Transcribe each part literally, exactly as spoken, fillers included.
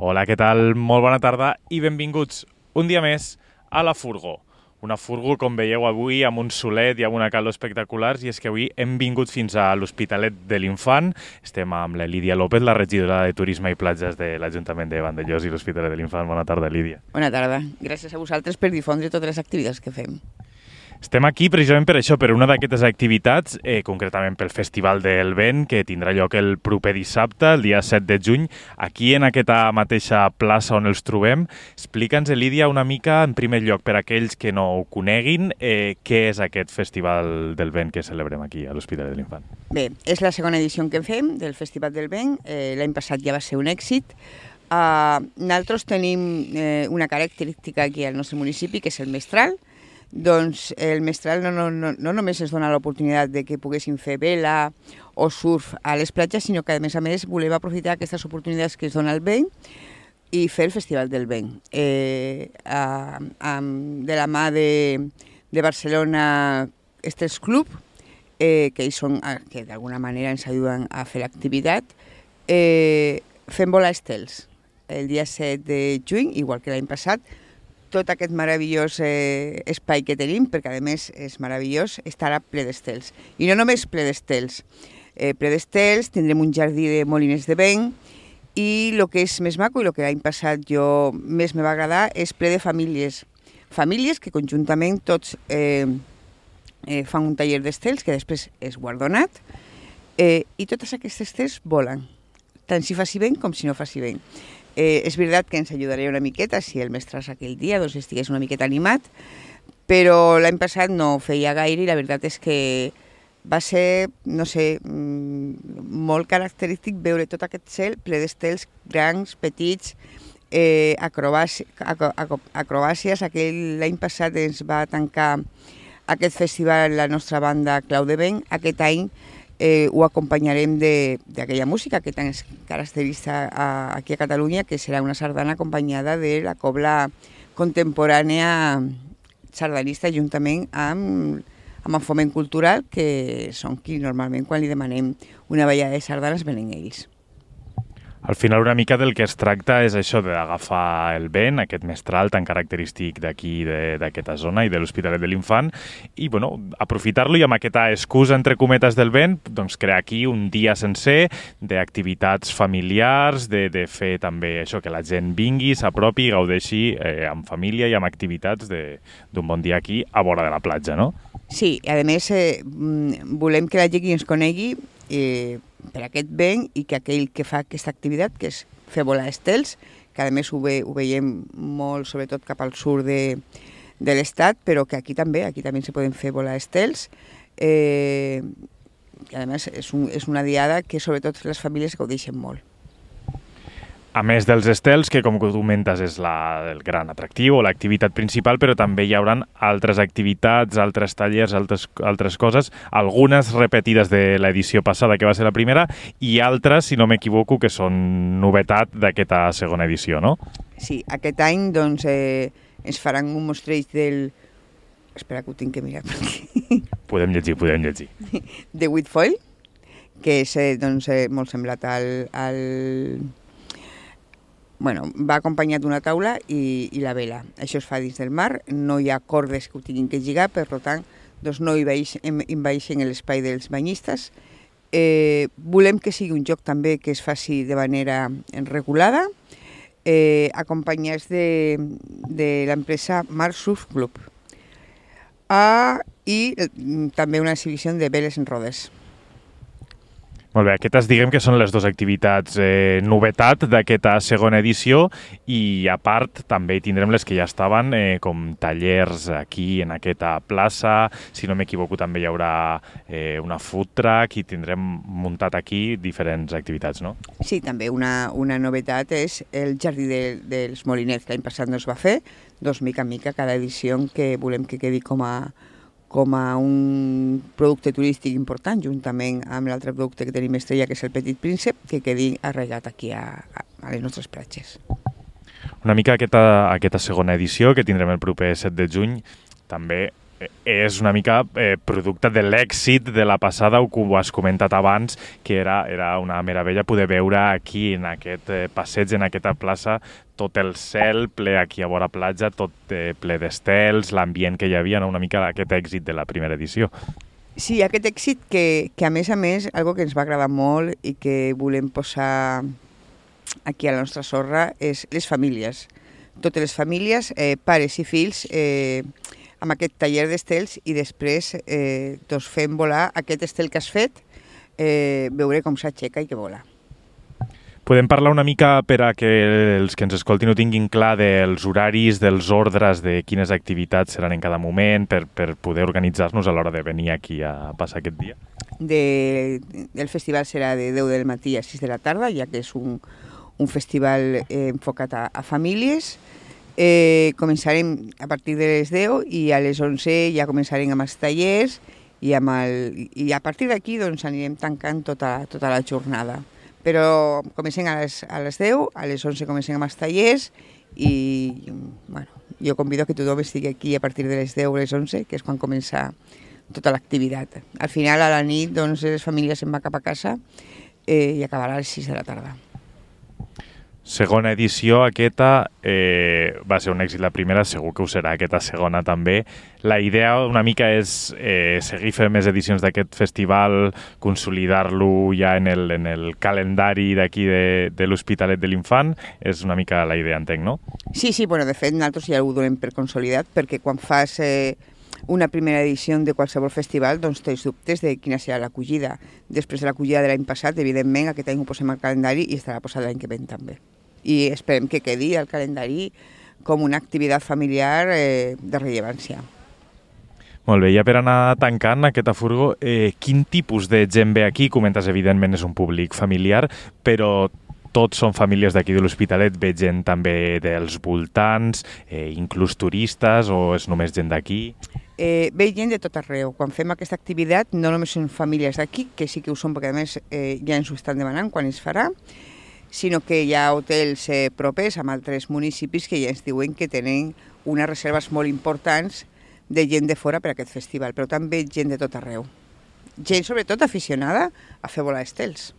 Hola, què tal? Molt bona tarda i benvinguts un dia més a La Furgo. Una furgo, com veieu avui, amb un solet i amb una calor espectaculars, i és que avui hem vingut fins a l'Hospitalet de l'Infant. Estem amb la Lídia López, la regidora de Turisme i Platges de l'Ajuntament de Vandellòs i l'Hospitalet de l'Infant. Bona tarda, Lídia. Bona tarda. Gràcies a vosaltres per difondre totes les activitats que fem. Estem aquí precisament per això, per una d'aquestes activitats, eh, concretament pel Festival del Vent, que tindrà lloc el proper dissabte, el dia set de juny, aquí en aquesta mateixa plaça on els trobem. Explica'ns, Lídia, una mica, en primer lloc, per aquells que no ho coneguin, eh, què és aquest Festival del Vent que celebrem aquí a l'Hospitalet de l'Infant. Bé, és la segona edició que fem del Festival del Vent. Eh, L'any passat ja va ser un èxit. Uh, nosaltres tenim eh, una característica aquí al nostre municipi, que és el mestral. Doncs el mestral no, no, no, no només ens dona l'oportunitat de que poguéssim fer vela o surf a les platges, sinó que a més a més volem aprofitar aquestes oportunitats que es dona el vent i fer el Festival del Vent. Eh, a, a, de la mà de, de Barcelona Estels Club, eh, que ells són, que d'alguna manera ens ajuden a fer l'activitat, eh, fem volar estels el dia set de juny, igual que l'any passat. Tot aquest meravellós eh, espai que tenim, perquè a més és meravellós, estarà ple d'estels. I no només ple d'estels. Eh, ple d'estels, tindrem un jardí de molines de vent, i el que és més maco i el que l'any passat jo més me va agradar és ple de famílies. Famílies que conjuntament tots eh, eh, fan un taller d'estels que després és guardonat, eh, i totes aquestes estels volen, tant si faci vent com si no faci vent. Eh, és veritat que ens ajudaria una miqueta si el mestres aquell dia doncs, estigués una miqueta animat, però l'any passat no feia gaire i la veritat és que va ser, no sé, molt característic veure tot aquest cel ple d'estels grans, petits, eh, acrobàcies, acrobàcies. Aquell l'any passat ens va tancar aquest festival la nostra banda Clau de Vent. Aquest any Eh, ho acompanyarem d'aquella música que tan característica a, aquí a Catalunya, que serà una sardana acompanyada de la cobla contemporània sardanista juntament amb, amb el Foment Cultural, que són qui normalment quan li demanem una ballada de sardanes venen ells. Al final una mica del que es tracta és això d'agafar el vent, aquest mestral tan característic d'aquí, d'aquesta zona i de l'Hospitalet de l'Infant, i bueno, aprofitar-lo i amb aquesta excusa, entre cometes, del vent, doncs crear aquí un dia sencer d'activitats familiars, de, de fer també això, que la gent vingui, s'apropi i gaudeixi eh, amb família i amb activitats d'un bon dia aquí a vora de la platja, no? Sí, a més eh, volem que la gent ens conegui eh, per aquest vent i que aquell que fa aquesta activitat, que és fer volar estels, que a més ho, ve, ho veiem molt, sobretot cap al sud de, de l'estat, però que aquí també, aquí també se poden fer volar estels. Eh, I a més és, un, és una diada que sobretot les famílies gaudeixen molt. A més dels estels, que com comentes és la, el gran atractiu o l'activitat principal, però també hi haurà altres activitats, altres tallers, altres, altres coses, algunes repetides de l'edició passada, que va ser la primera, i altres, si no m'equivoco, que són novetat d'aquesta segona edició, no? Sí, aquest any doncs, eh, ens faran un mostreig del... Espera, que ho tinc que mirar per aquí. Podem llegir, podem llegir. De Whitfoil, que és eh, doncs, eh, molt semblat al... al... Bueno, va acompanyat d'una taula i, i la vela. Això es fa dins del mar, no hi ha cordes que ho tinguin que lligar, per tant, doncs no envaeixen l'espai dels banyistes. Eh, volem que sigui un joc també que es faci de manera regulada, eh, acompanyats de, de l'empresa Mar Surf Club. Ah, i també una exhibició de veles en rodes. Molt bé, aquestes diguem que són les dues activitats eh, novetat d'aquesta segona edició, i a part també tindrem les que ja estaven, eh, com tallers aquí en aquesta plaça. Si no m'equivoco també hi haurà eh, una food truck i tindrem muntat aquí diferents activitats, no? Sí, també una, una novetat és el jardí de, dels molinets. L'any passat no es va fer, doncs mica en mica cada edició que volem que quedi com a com a un producte turístic important, juntament amb l'altre producte que tenim estrella, que és el Petit Príncep, que quedi arraigat aquí a, a les nostres platges. Una mica aquesta, aquesta segona edició, que tindrem el proper set de juny, també és una mica eh, producte de l'èxit de la passada, o com ho has comentat abans, que era, era una meravella poder veure aquí, en aquest eh, passeig, en aquesta plaça, tot el cel ple aquí a vora platja, tot eh, ple d'estels, l'ambient que hi havia, no? Una mica aquest èxit de la primera edició. Sí, aquest èxit que, que a més a més, algo que ens va agradar molt i que volem posar aquí a la nostra sorra és les famílies. Totes les famílies, eh, pares i fills, eh, amb aquest taller d'estels i després eh, doncs fem volar aquest estel que has fet, eh, veure com s'aixeca i que vola. Podem parlar una mica per a que els que ens escoltin ho tinguin clar dels horaris, dels ordres, de quines activitats seran en cada moment, per, per poder organitzar-nos a l'hora de venir aquí a passar aquest dia? De, el festival serà de deu del matí a sis de la tarda, ja que és un, un festival eh, enfocat a, a famílies. Eh, començarem a partir de les deu i a les onze ja començarem amb els tallers i, amb el, i a partir d'aquí doncs, anirem tancant tota, tota la jornada. Però comencem a les, a les deu, a les onze comencem amb els tallers i bueno, jo convido que tothom estigui aquí a partir de les deu o les onze, que és quan comença tota l'activitat. Al final, a la nit, doncs, les famílies se'n van cap a casa eh, i acabarà a les sis de la tarda. Segona edició, aquesta eh, va ser un èxit la primera, segur que ho serà aquesta segona també. La idea una mica és eh, seguir fent més edicions d'aquest festival, consolidar-lo ja en el, en el calendari d'aquí de, de l'Hospitalet de l'Infant. És una mica la idea, entenc, no? Sí, sí, bueno, de fet nosaltres ja ho donem per consolidat, perquè quan fas eh, una primera edició de qualsevol festival, doncs tens dubtes de quina serà l'acollida. Després de l'acollida de l'any passat, evidentment, aquest any ho posem al calendari i estarà posat l'any que ven també. I esperem que quedi al calendari com una activitat familiar eh, de rellevància. Molt bé, ja per anar tancant aquesta furgo, eh, quin tipus de gent ve aquí? Comentes, evidentment, és un públic familiar, però tots són famílies d'aquí de l'Hospitalet, ve gent també dels voltants, eh, inclús turistes, o és només gent d'aquí? Eh, ve gent de tot arreu. Quan fem aquesta activitat no només són famílies d'aquí, que sí que ho són perquè a més eh, ja ens ho estan demanant quan es farà, sinó que hi ha hotels eh, propers amb altres municipis que ja ens diuen que tenen unes reserves molt importants de gent de fora per a aquest festival, però també gent de tot arreu. Gent sobretot aficionada a fer volar estels.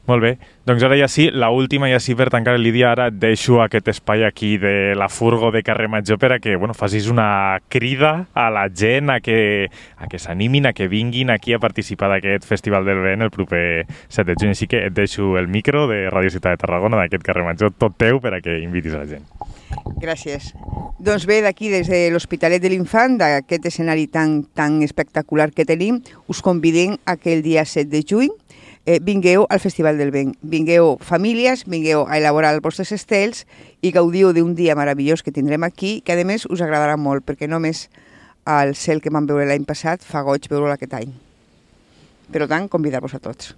Molt bé, doncs ara ja sí, la última ja sí per tancar, Lídia, ara et deixo aquest espai aquí de la furgo de Carrer Major per a que bueno, facis una crida a la gent a que, a que s'animin, a que vinguin aquí a participar d'aquest Festival del Vent el proper set de juny. Així que et deixo el micro de Ràdio Ciutat de Tarragona, d'aquest Carrer Major, tot teu per a que invitis a la gent. Gràcies. Doncs bé, d'aquí des de l'Hospitalet de l'Infant, d'aquest escenari tan, tan espectacular que tenim, us convidem a que el dia set de juny Eh, vingueu al Festival del Vent, vingueu famílies, vingueu a elaborar els vostres estels i gaudiu d'un dia meravellós que tindrem aquí, que a més us agradarà molt, perquè només el cel que vam veure l'any passat fa goig veure-lo aquest any. Per tant, convidar-vos a tots.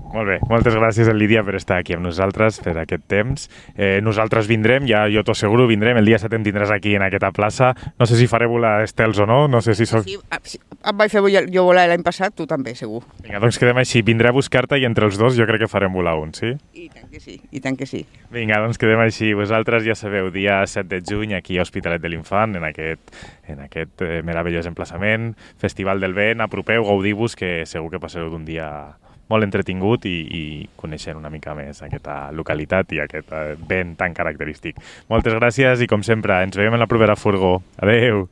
Molt bé, moltes gràcies, Lídia, per estar aquí amb nosaltres, per aquest temps. Eh, nosaltres vindrem, ja jo t'ho asseguro, vindrem, el dia set em tindràs aquí en aquesta plaça. No sé si faré volar estels o no, no sé si... Soc... Sí, sí, em vaig fer jo volar l'any passat, tu també, segur. Vinga, doncs quedem així, vindré a buscar-te i entre els dos jo crec que farem volar un, sí? I tant que sí, i tant que sí. Vinga, doncs quedem així. Vosaltres ja sabeu, dia set de juny, aquí a Hospitalet de l'Infant, en aquest, en aquest eh, meravellós emplaçament, Festival del Vent, apropeu, gaudiu-vos, que segur que passareu d'un dia molt entretingut i, i coneixent una mica més aquesta localitat i aquest vent tan característic. Moltes gràcies i, com sempre, ens veiem en la propera furgo. Adeu!